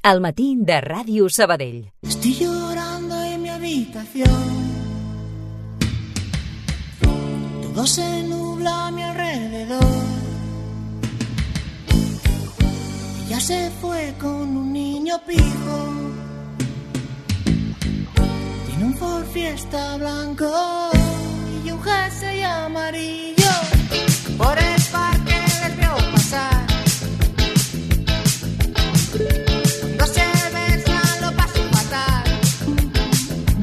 Al matí de Ràdio Sabadell. Estoy llorando en mi habitación. Todo se nubla a mi alrededor. Ella se fue con un niño pijo. Tiene un Ford Fiesta blanco y un jersey amarillo. Por el parque les veo pasar.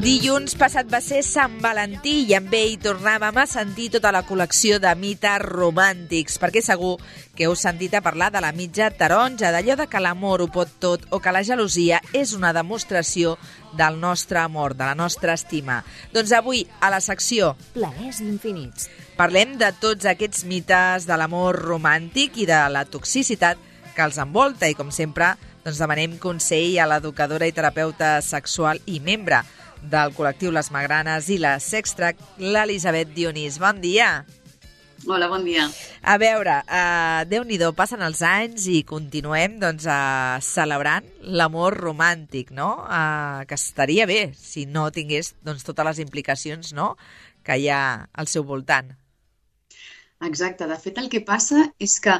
Dilluns passat va ser Sant Valentí i amb ell tornàvem a sentir tota la col·lecció de mites romàntics, perquè segur que heu sentit a parlar de la mitja taronja, d'allò de que l'amor ho pot tot o que la gelosia és una demostració del nostre amor, de la nostra estima. Doncs avui, a la secció Plaers infinits, parlem de tots aquests mites de l'amor romàntic i de la toxicitat que els envolta i, com sempre, doncs demanem consell a l'educadora i terapeuta sexual i membre del col·lectiu Les Magranes i la Sextrac, l'Elisabet Dionís. Bon dia! Hola, bon dia. A veure, Déu-n'hi-do, passen els anys i continuem celebrant l'amor romàntic, no? Que estaria bé si no tingués totes les implicacions, no?, que hi ha al seu voltant. Exacte. De fet, el que passa és que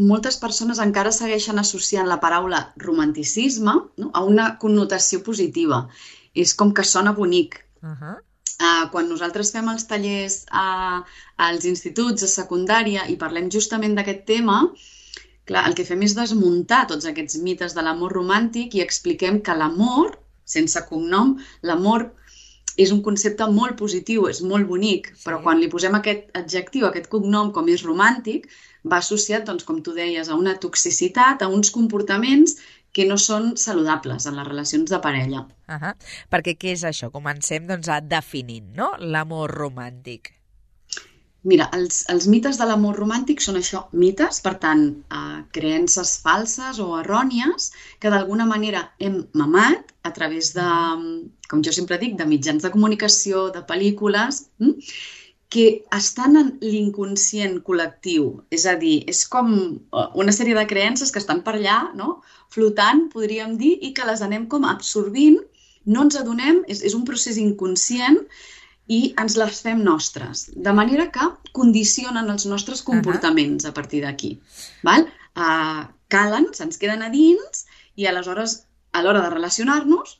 moltes persones encara segueixen associant la paraula romanticisme, no?, a una connotació positiva. És com que sona bonic. Quan nosaltres fem els tallers als instituts, a secundària, i parlem justament d'aquest tema, clar, el que fem és desmuntar tots aquests mites de l'amor romàntic i expliquem que l'amor, sense cognom, l'amor és un concepte molt positiu, és molt bonic, però quan li posem aquest adjectiu, aquest cognom, com és romàntic, va associat, doncs, com tu deies, a una toxicitat, a uns comportaments que no són saludables en les relacions de parella. Perquè què és això? Comencem definint, no?, l'amor romàntic. Mira, els mites de l'amor romàntic són això, mites, per tant, creences falses o errònies que d'alguna manera hem mamat a través de, com jo sempre dic, de mitjans de comunicació, de pel·lícules, que estan en l'inconscient col·lectiu. És a dir, és com una sèrie de creences que estan per allà, no?, flotant, podríem dir, i que les anem com absorbint, no ens adonem, és un procés inconscient i ens les fem nostres, de manera que condicionen els nostres comportaments a partir d'aquí. Calen, se'ns queden a dins i aleshores, a l'hora de relacionar-nos,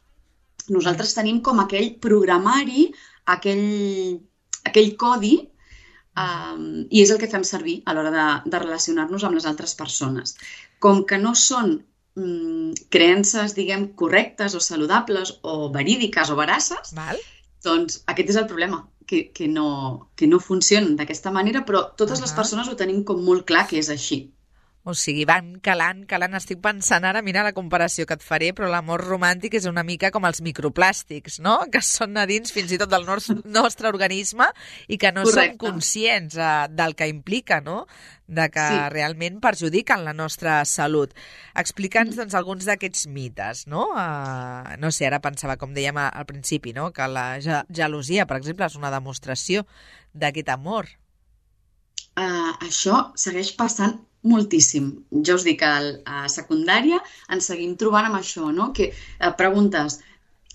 nosaltres tenim com aquell programari, aquell codi, i és el que fem servir a l'hora de relacionar-nos amb les altres persones. Com que no són creences, diguem, correctes o saludables o verídiques o veraces, doncs aquest és el problema, que no funcionen d'aquesta manera, però totes les persones ho tenim com molt clar que és així. O sigui, van calant. Estic pensant ara, mira la comparació que et faré, però l'amor romàntic és una mica com els microplàstics, no?, que són a dins fins i tot del nostre organisme i que no som conscients del que implica, no?, de que realment perjudiquen la nostra salut. Explica'ns, doncs, alguns d'aquests mites, no? No sé, ara pensava, com dèiem al principi, no?, que la gelosia, per exemple, és una demostració d'aquest amor. Això segueix passant moltíssim. Jo us dic, a secundària ens seguim trobant amb això, no?, que preguntes,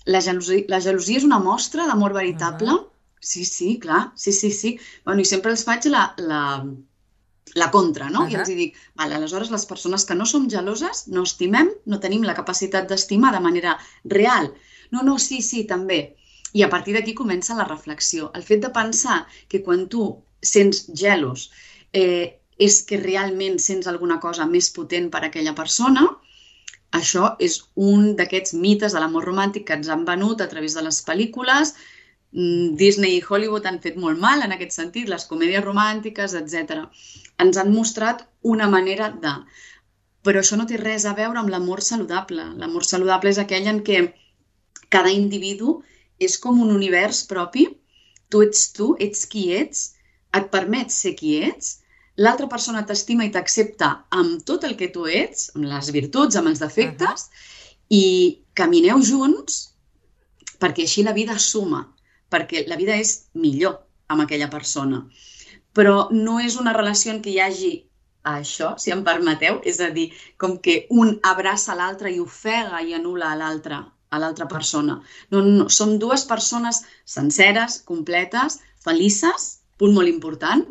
la gelosia és una mostra d'amor veritable? Sí, clar, sí. Bueno, i sempre els faig la contra, no? I els dic, aleshores les persones que no som geloses no estimem, no tenim la capacitat d'estimar de manera real. No, sí, també. I a partir d'aquí comença la reflexió. El fet de pensar que quan tu sents gelos és que realment sents alguna cosa més potent per a aquella persona, això és un d'aquests mites de l'amor romàntic que ens han venut a través de les pel·lícules. Disney i Hollywood han fet molt mal en aquest sentit, les comèdies romàntiques, etc. Ens han mostrat una manera de... Però això no té res a veure amb l'amor saludable. L'amor saludable és aquell en què cada individu és com un univers propi, tu, ets qui ets, et permets ser qui ets, l'altra persona t'estima i t'accepta amb tot el que tu ets, amb les virtuts, amb els defectes, i camineu junts perquè així la vida suma, perquè la vida és millor amb aquella persona. Però no és una relació en què hi hagi a això, si em permeteu, és a dir, com que un abraça l'altre i ofega i anul·la a l'altra persona. No, som dues persones senceres, completes, felices, punt molt important,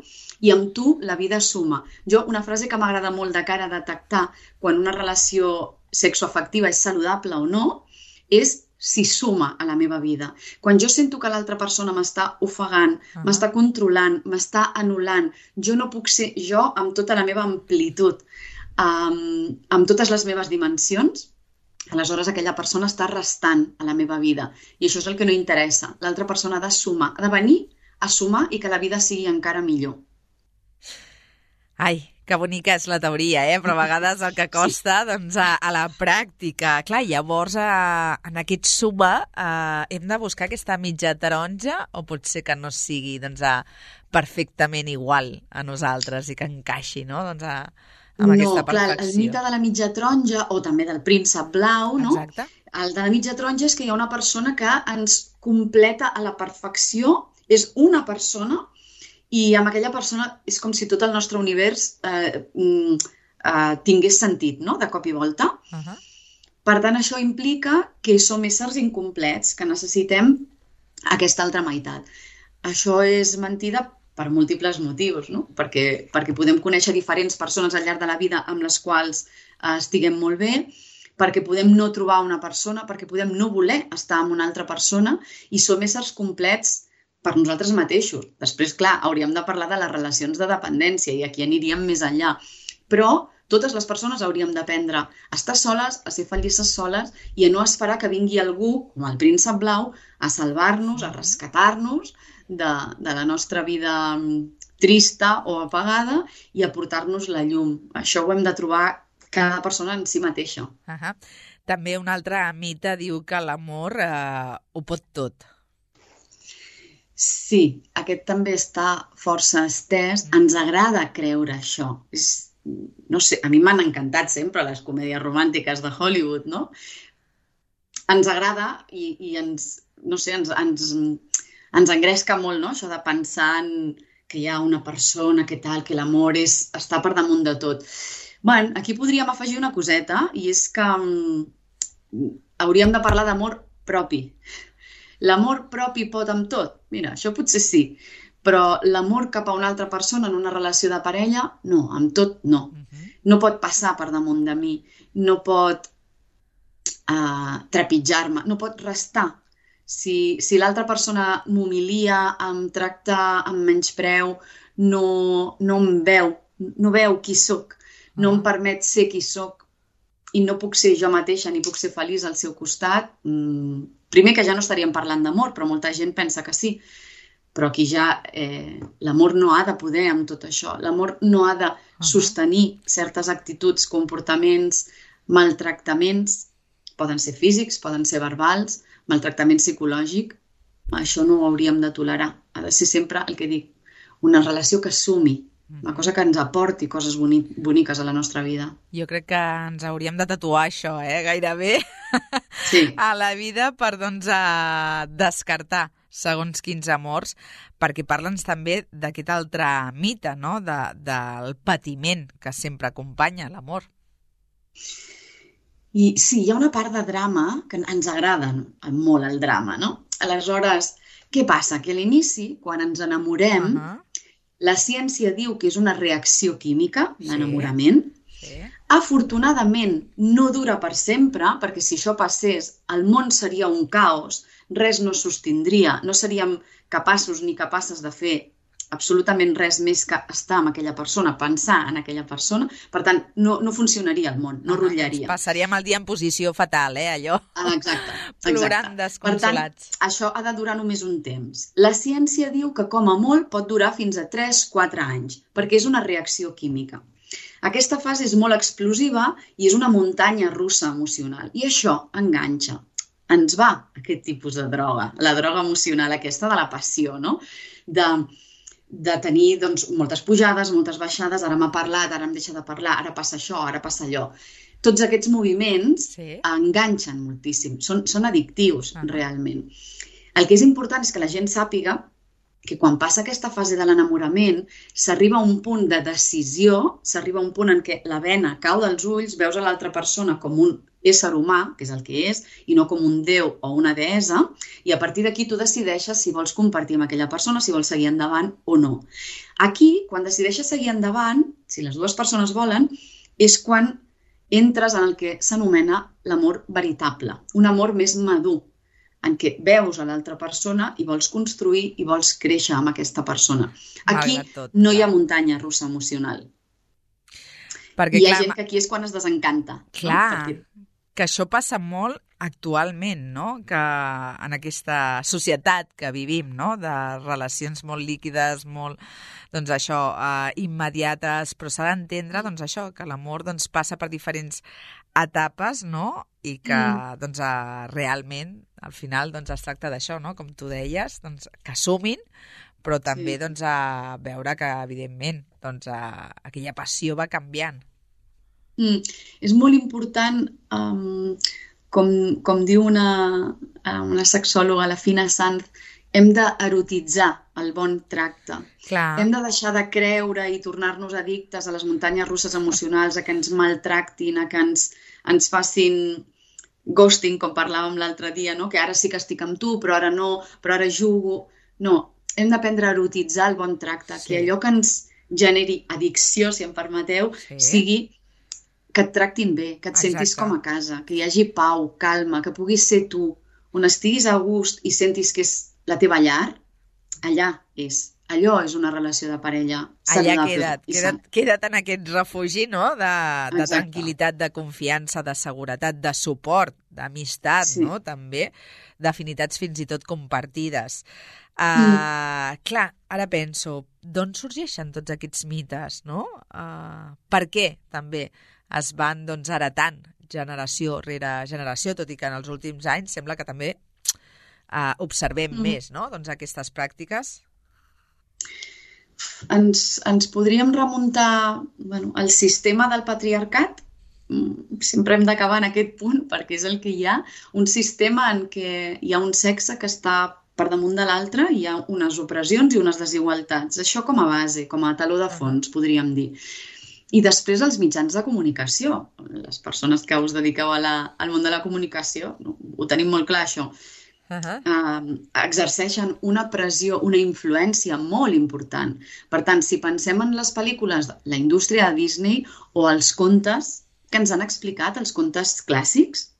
i amb tu la vida suma. Una frase que m'agrada molt de cara a detectar quan una relació sexoafectiva és saludable o no, és si suma a la meva vida. Quan jo sento que l'altra persona m'està ofegant, m'està controlant, m'està anul·lant, jo no puc ser jo amb tota la meva amplitud, amb totes les meves dimensions, aleshores aquella persona està restant a la meva vida. I això és el que no interessa. L'altra persona ha de sumar, ha de venir a sumar i que la vida sigui encara millor. Ai, que bonica és la teoria, però a vegades el que costa doncs, a la pràctica. Clar, llavors en aquest suma hem de buscar aquesta mitja taronja o pot ser que no sigui doncs, perfectament igual a nosaltres i que encaixi, no? Doncs, amb aquesta perfecció. Clar, el mite de la mitja taronja o també del príncep blau, no? Exacte. El de la mitja taronja és que hi ha una persona que ens completa a la perfecció, és una persona i amb aquella persona és com si tot el nostre univers tingués sentit, no?, de cop i volta. Per tant, això implica que som éssers incomplets, que necessitem aquesta altra meitat. Això és mentida per múltiples motius, no? Perquè podem conèixer diferents persones al llarg de la vida amb les quals estiguem molt bé, perquè podem no trobar una persona, perquè podem no voler estar amb una altra persona i som éssers complets per nosaltres mateixos. Després, clar, hauríem de parlar de les relacions de dependència i aquí aniríem més enllà. Però totes les persones hauríem d'aprendre a estar soles, a ser felices soles i a no esperar que vingui algú, com el príncep blau, a salvar-nos, a rescatar-nos de la nostra vida trista o apagada i a portar-nos la llum. Això ho hem de trobar cada persona en si mateixa. També un altre mite diu que l'amor ho pot tot. Sí, aquest també està força estès. Ens agrada creure això. No sé, a mi m'han encantat sempre les comèdies romàntiques de Hollywood, no? Ens agrada i ens engresca molt, no?, això de pensar que hi ha una persona que tal, que l'amor està per damunt de tot. Bé, aquí podríem afegir una coseta i és que hauríem de parlar d'amor propi. L'amor propi pot amb tot? Mira, això potser sí, però l'amor cap a una altra persona en una relació de parella, no, amb tot no. No pot passar per damunt de mi, no pot trepitjar-me, no pot restar. Si l'altra persona m'humilia, em tracta amb menyspreu, no em veu, no veu qui sóc, no em permet ser qui sóc i no puc ser jo mateixa ni puc ser feliç al seu costat, primer que ja no estaríem parlant d'amor, però molta gent pensa que sí. Però aquí ja l'amor no ha de poder amb tot això. L'amor no ha de sostenir certes actituds, comportaments, maltractaments. Poden ser físics, poden ser verbals, maltractament psicològic. Això no ho hauríem de tolerar. Ha de ser sempre el que dic, una relació que sumi, una cosa que ens aporti coses boniques a la nostra vida. Jo crec que ens hauríem de tatuar això, gairebé, sí, a la vida per descartar segons quins amors, perquè parla'ns també d'aquest altre mite, no?, del patiment que sempre acompanya l'amor. I sí, hi ha una part de drama que ens agrada molt, el drama, no? Aleshores, què passa? Que a l'inici, quan ens enamorem, la ciència diu que és una reacció química, l'enamorament. Afortunadament, no dura per sempre, perquè si això passés, el món seria un caos, res no sostindria, no seríem capaços ni capaces de fer absolutament res més que estar amb aquella persona, pensar en aquella persona. Per tant, no funcionaria el món, no rotllaria. Passaríem el dia en posició fatal, allò. Exacte. Plorant desconsolats. Per tant, això ha de durar només un temps. La ciència diu que com a molt pot durar fins a 3-4 anys, perquè és una reacció química. Aquesta fase és molt explosiva i és una muntanya russa emocional. I això enganxa. Ens va aquest tipus de droga, la droga emocional aquesta de la passió, no? De tenir moltes pujades, moltes baixades, ara m'ha parlat, ara em deixa de parlar, ara passa això, ara passa allò. Tots aquests moviments enganxen moltíssim, són addictius realment. El que és important és que la gent sàpiga que quan passa aquesta fase de l'enamorament s'arriba a un punt de decisió, s'arriba a un punt en què la vena cau dels ulls, veus a l'altra persona com un ésser humà, que és el que és, i no com un déu o una deessa, i a partir d'aquí tu decideixes si vols compartir amb aquella persona, si vols seguir endavant o no. Aquí, quan decideixes seguir endavant, si les dues persones volen, és quan entres en el que s'anomena l'amor veritable, un amor més madur, en què veus a l'altra persona i vols construir i vols créixer amb aquesta persona. Aquí no hi ha muntanya russa emocional. Perquè, hi ha gent que aquí és quan es desencanta. Clar, que això passa molt actualment, no? Que en aquesta societat que vivim, no? De relacions molt líquides, molt, doncs això, immediates, però s'ha d'entendre, doncs això, que l'amor doncs, passa per diferents etapes, no? I que doncs, realment al final doncs, es tracta d'això, no? Com tu deies, doncs, que sumin, però també doncs, a veure que evidentment doncs, aquella passió va canviant. És molt important, com diu una sexòloga, la Fina Sanz, hem d'erotitzar el bon tracte. Clar. Hem de deixar de creure i tornar-nos addictes a les muntanyes russes emocionals, a que ens maltractin, a que ens facin ghosting, com parlàvem l'altre dia, no? Que ara sí que estic amb tu, però ara no, però ara jugo. No, hem d'aprendre a erotitzar el bon tracte, que allò que ens generi addicció, si em permeteu, sigui que et tractin bé, que et sentis com a casa, que hi hagi pau, calma, que puguis ser tu, on estiguis a gust i sentis que és la teva llar, allà és. Allò és una relació de parella saludable. Allà queda't en aquest refugi, no? De tranquil·litat, de confiança, de seguretat, de suport, d'amistat, no? També, d'afinitats fins i tot compartides. Clar, ara penso, d'on sorgeixen tots aquests mites, no? Per què també es van doncs, heretant generació rere generació, tot i que en els últims anys sembla que també observem més, no? Doncs aquestes pràctiques. Ens podríem remuntar al sistema del patriarcat. Sempre hem d'acabar en aquest punt perquè és el que hi ha. Un sistema en què hi ha un sexe que està per damunt de l'altre, hi ha unes opressions i unes desigualtats. Això com a base, com a taló de fons, podríem dir. I després els mitjans de comunicació. Les persones que us dediqueu al món de la comunicació, ho tenim molt clar, això. Exerceixen una pressió, una influència molt important. Per tant, si pensem en les pel·lícules de la indústria de Disney o els contes que ens han explicat, els contes clàssics,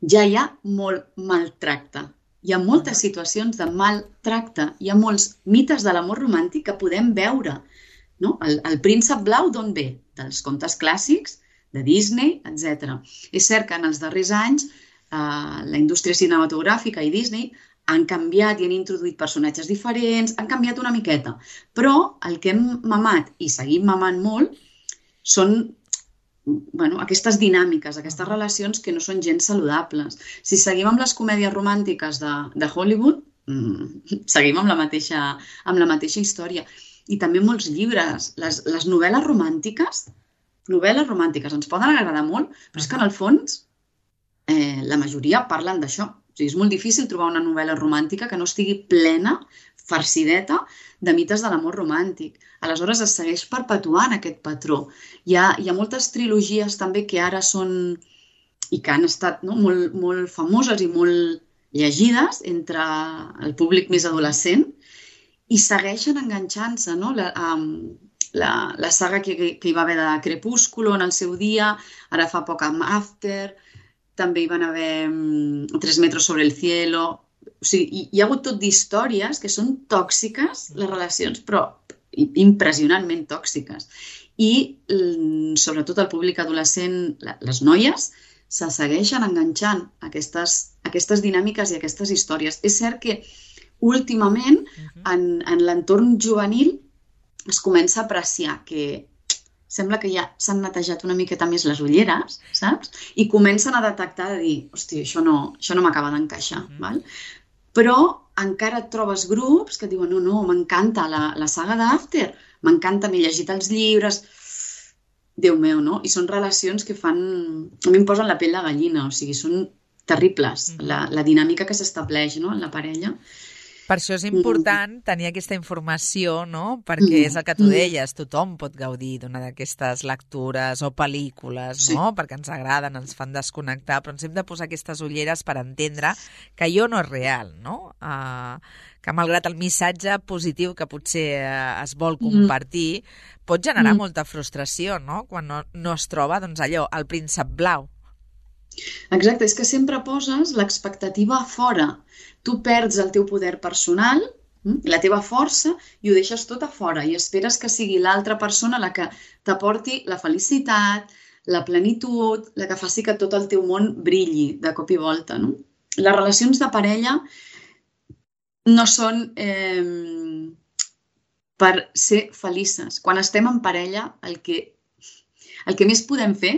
ja hi ha molt maltracte. Hi ha moltes situacions de maltracte. Hi ha molts mites de l'amor romàntic que podem veure. No? El príncep blau d'on ve? Dels contes clàssics, de Disney, etc. És cert que en els darrers anys la indústria cinematogràfica i Disney han canviat i han introduït personatges diferents, han canviat una miqueta. Però el que hem mamat i seguim mamant molt són aquestes dinàmiques, aquestes relacions que no són gens saludables. Si seguim amb les comèdies romàntiques de Hollywood, seguim amb la mateixa història. I també molts llibres. Les novel·les romàntiques ens poden agradar molt, però és que en el fons la majoria parlen d'això. O sigui, és molt difícil trobar una novel·la romàntica que no estigui plena, farcideta, de mites de l'amor romàntic. Aleshores es segueix perpetuant aquest patró. Hi ha moltes trilogies també que ara són i que han estat molt famoses i molt llegides entre el públic més adolescent i segueixen enganxant-se, no? La saga que hi va haver de Crepúsculo en el seu dia, ara fa poc amb After, també hi van haver 3 metros sobre el cielo. O sigui, hi ha hagut tot d'històries que són tòxiques, les relacions, però impressionantment tòxiques. I sobretot el públic adolescent, les noies, se segueixen enganxant aquestes dinàmiques i aquestes històries. És cert que últimament en l'entorn juvenil es comença a apreciar que sembla que ja s'han netejat una miqueta més les ulleres, saps? I comencen a detectar de dir, hòstia, això no m'acaba d'encaixar, val? Però encara et trobes grups que diuen, no, m'encanta la saga d'After, m'encanta, m'he llegit els llibres, Déu meu, no? I són relacions que fan... A mi em posen la pell de gallina, o sigui, són terribles, la dinàmica que s'estableix, no?, en la parella. Per això és important tenir aquesta informació, no? Perquè és el que tu deies, tothom pot gaudir d'una d'aquestes lectures o pel·lícules, no? Perquè ens agraden, ens fan desconnectar, però ens hem de posar aquestes ulleres per entendre que allò no és real, no? Que malgrat el missatge positiu que potser es vol compartir, pot generar molta frustració, no? Quan no es troba, doncs allò, el príncep blau. Exacte, és que sempre poses l'expectativa a fora. Tu perds el teu poder personal, la teva força, i ho deixes tot a fora i esperes que sigui l'altra persona la que t'aporti la felicitat, la plenitud, la que faci que tot el teu món brilli de cop i volta, no? Les relacions de parella no són per ser felices. Quan estem en parella, el que més podem fer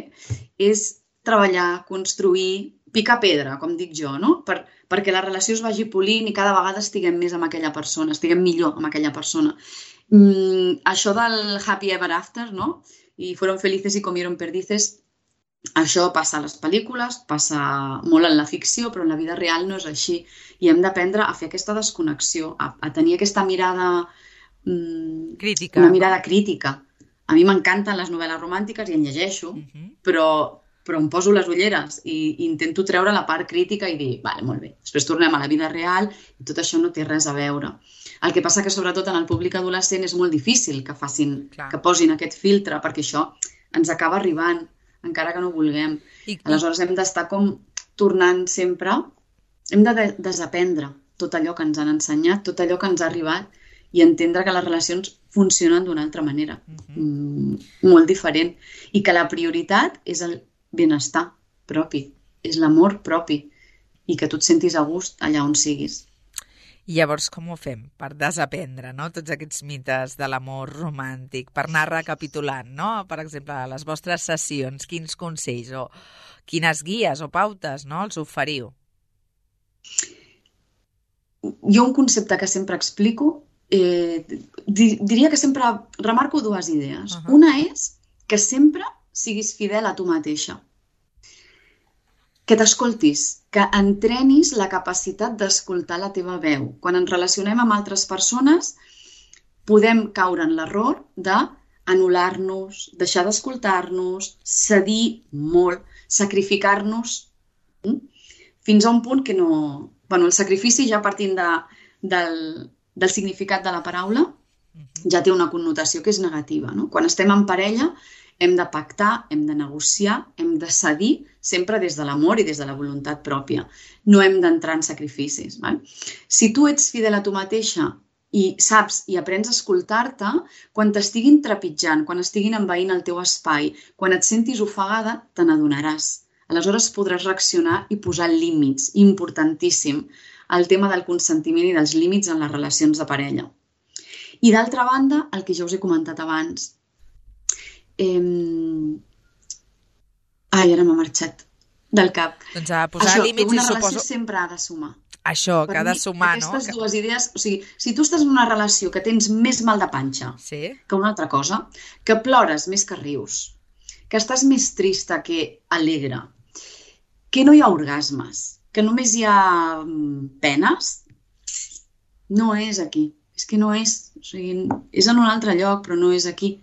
és treballar, construir, picar pedra, com dic jo, no? Perquè la relació es vagi polint i cada vegada estiguem més amb aquella persona, estiguem millor amb aquella persona. Això del happy ever after, no? I fueron felices y comieron perdices, això passa a les pel·lícules, passa molt en la ficció, però en la vida real no és així. I hem d'aprendre a fer aquesta desconnexió, a tenir aquesta mirada crítica. Una mirada crítica. A mi m'encanten les novel·les romàntiques i en llegeixo, però em poso les ulleres i intento treure la part crítica i dir, vale, molt bé, després tornem a la vida real i tot això no té res a veure. El que passa que sobretot en el públic adolescent és molt difícil que posin aquest filtre, perquè això ens acaba arribant, encara que no vulguem. Aleshores hem d'estar com tornant sempre, hem de desaprendre tot allò que ens han ensenyat, tot allò que ens ha arribat i entendre que les relacions funcionen d'una altra manera, molt diferent, i que la prioritat és el benestar propi, és l'amor propi i que tu et sentis a gust allà on siguis. I llavors com ho fem per desaprendre, no? Tots aquests mites de l'amor romàntic, per anar recapitulant, no? Per exemple, a les vostres sessions, quins consells o quines guies o pautes, no? Els oferiu? Jo un concepte que sempre explico, diria que sempre remarco dues idees. Una és que sempre siguis fidel a tu mateixa. Que t'escoltis, que entrenis la capacitat d'escoltar la teva veu. Quan ens relacionem amb altres persones, podem caure en l'error d'anul·lar-nos, deixar d'escoltar-nos, cedir molt, sacrificar-nos, fins a un punt que no... Bueno, el sacrifici, ja partint del significat de la paraula, ja té una connotació que és negativa, no? Quan estem en parella, hem de pactar, hem de negociar, hem de cedir, sempre des de l'amor i des de la voluntat pròpia. No hem d'entrar en sacrificis. Val? Si tu ets fidel a tu mateixa i saps i aprens a escoltar-te, quan t'estiguin trepitjant, quan estiguin envaint el teu espai, quan et sentis ofegada, te n'adonaràs. Aleshores podràs reaccionar i posar límits, importantíssim, el tema del consentiment i dels límits en les relacions de parella. I d'altra banda, el que ja us he comentat abans, ara m'ha marxat del cap. Doncs a posar límits i suposo... Una relació sempre ha de sumar. Això, que ha de sumar, no? Aquestes dues idees, o sigui, si tu estàs en una relació que tens més mal de panxa que una altra cosa, que plores més que rius, que estàs més trista que alegre, que no hi ha orgasmes, que només hi ha penes, no és aquí. És que no és. O sigui, és en un altre lloc, però no és aquí.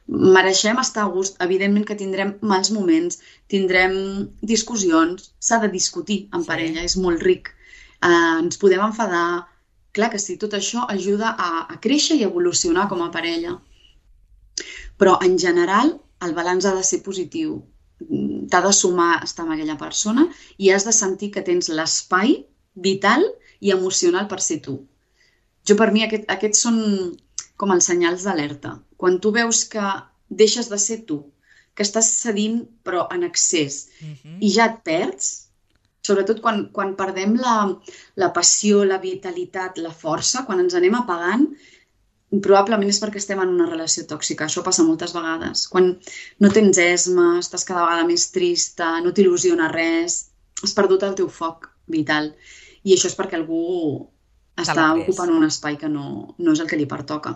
Mereixem estar a gust. Evidentment que tindrem mals moments, tindrem discussions, s'ha de discutir en parella, és molt ric. Ens podem enfadar. Clar que sí, tot això ajuda a créixer i evolucionar com a parella. Però, en general, el balanç ha de ser positiu. T'ha de sumar estar amb aquella persona i has de sentir que tens l'espai vital i emocional per ser tu. Per mi, aquests són com els senyals d'alerta. Quan tu veus que deixes de ser tu, que estàs cedint però en excés i ja et perds, sobretot quan perdem la passió, la vitalitat, la força, quan ens anem apagant, probablement és perquè estem en una relació tòxica. Això passa moltes vegades. Quan no tens esma, estàs cada vegada més trista, no t'il·lusiona res, has perdut el teu foc vital. I això és perquè algú està ocupant un espai que no és el que li pertoca.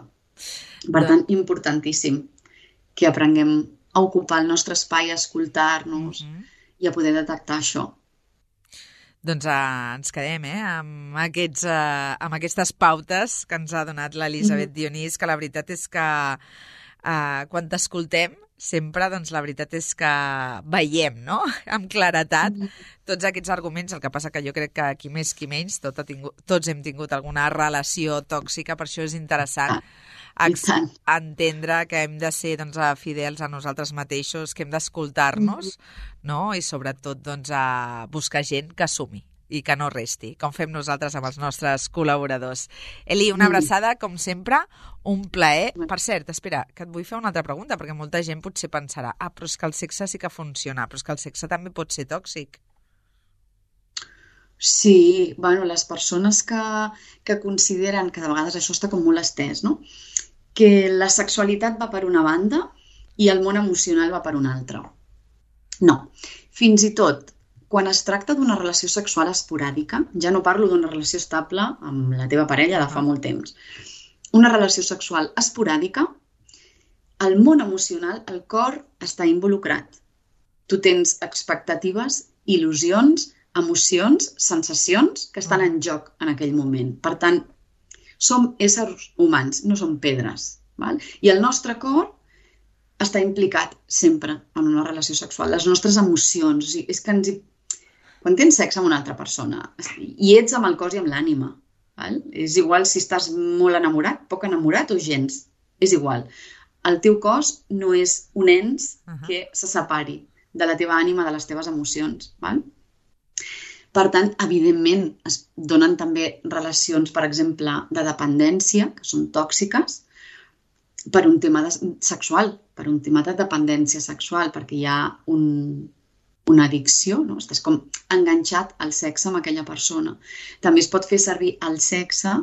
Per tant, importantíssim que aprenguem a ocupar el nostre espai, a escoltar-nos i a poder detectar això. doncs ens quedem amb aquestes pautes que ens ha donat l'Elisabet Dionís, que la veritat és que quan t'escoltem sempre, doncs, la veritat és que veiem, no?, amb claretat tots aquests arguments. El que passa que jo crec que qui més qui menys tots hem tingut alguna relació tòxica, per això és interessant entendre que hem de ser, doncs, fidels a nosaltres mateixos, que hem d'escoltar-nos, no?, i sobretot, doncs, a buscar gent que sumi i que no resti, com fem nosaltres amb els nostres col·laboradors. Eli, una abraçada, com sempre, un plaer. Per cert, espera, que et vull fer una altra pregunta, perquè molta gent potser pensarà, però és que el sexe sí que funciona, però és que el sexe també pot ser tòxic. Sí, bueno, les persones que consideren que de vegades això està com molt estès, no?, que la sexualitat va per una banda i el món emocional va per una altra. No, fins i tot quan es tracta d'una relació sexual esporàdica, ja no parlo d'una relació estable amb la teva parella de fa molt temps, una relació sexual esporàdica, el món emocional, el cor està involucrat. Tu tens expectatives, il·lusions, emocions, sensacions que estan en joc en aquell moment. Per tant, som éssers humans, no som pedres. Val? I el nostre cor està implicat sempre en una relació sexual. Les nostres emocions, o sigui, és que quan tens sexe amb una altra persona i ets amb el cos i amb l'ànima, és igual si estàs molt enamorat, poc enamorat o gens, és igual. El teu cos no és un ens que se separi de la teva ànima, de les teves emocions. Val? Per tant, evidentment, es donen també relacions, per exemple, de dependència, que són tòxiques, per un tema sexual, per un tema de dependència sexual, perquè hi ha una addicció, no? Estàs com enganxat al sexe amb aquella persona. També es pot fer servir el sexe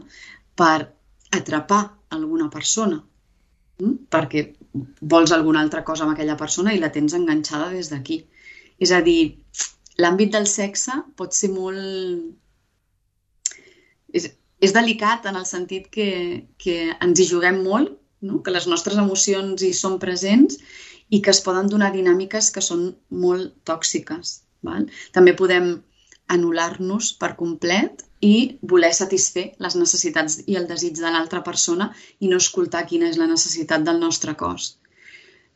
per atrapar alguna persona, perquè vols alguna altra cosa amb aquella persona i la tens enganxada des d'aquí. És a dir, l'àmbit del sexe pot ser molt... És delicat en el sentit que ens hi juguem molt, no? Que les nostres emocions hi són presents i que es poden donar dinàmiques que són molt tòxiques. Val? També podem anul·lar-nos per complet i voler satisfer les necessitats i el desig de l'altra persona i no escoltar quina és la necessitat del nostre cos.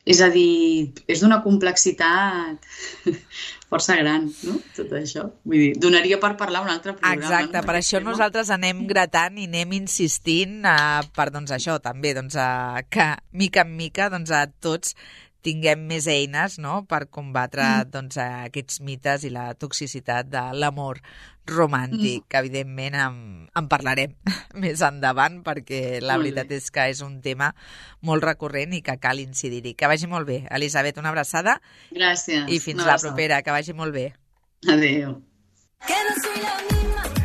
És a dir, és d'una complexitat força gran, no?, tot això. Vull dir, donaria per parlar un altre programa. Exacte, no? Per això nosaltres anem gratant i anem insistint per, doncs, això també, doncs, que mica en mica, doncs, a tots tinguem més eines, no?, per combatre, doncs, aquests mites i la toxicitat de l'amor romàntic. Evidentment en parlarem més endavant, perquè la veritat és que és un tema molt recurrent i que cal incidir-hi. Que vagi molt bé. Elisabet, una abraçada. Gràcies. I fins la propera. Que vagi molt bé. Adéu. Que no soy la misma.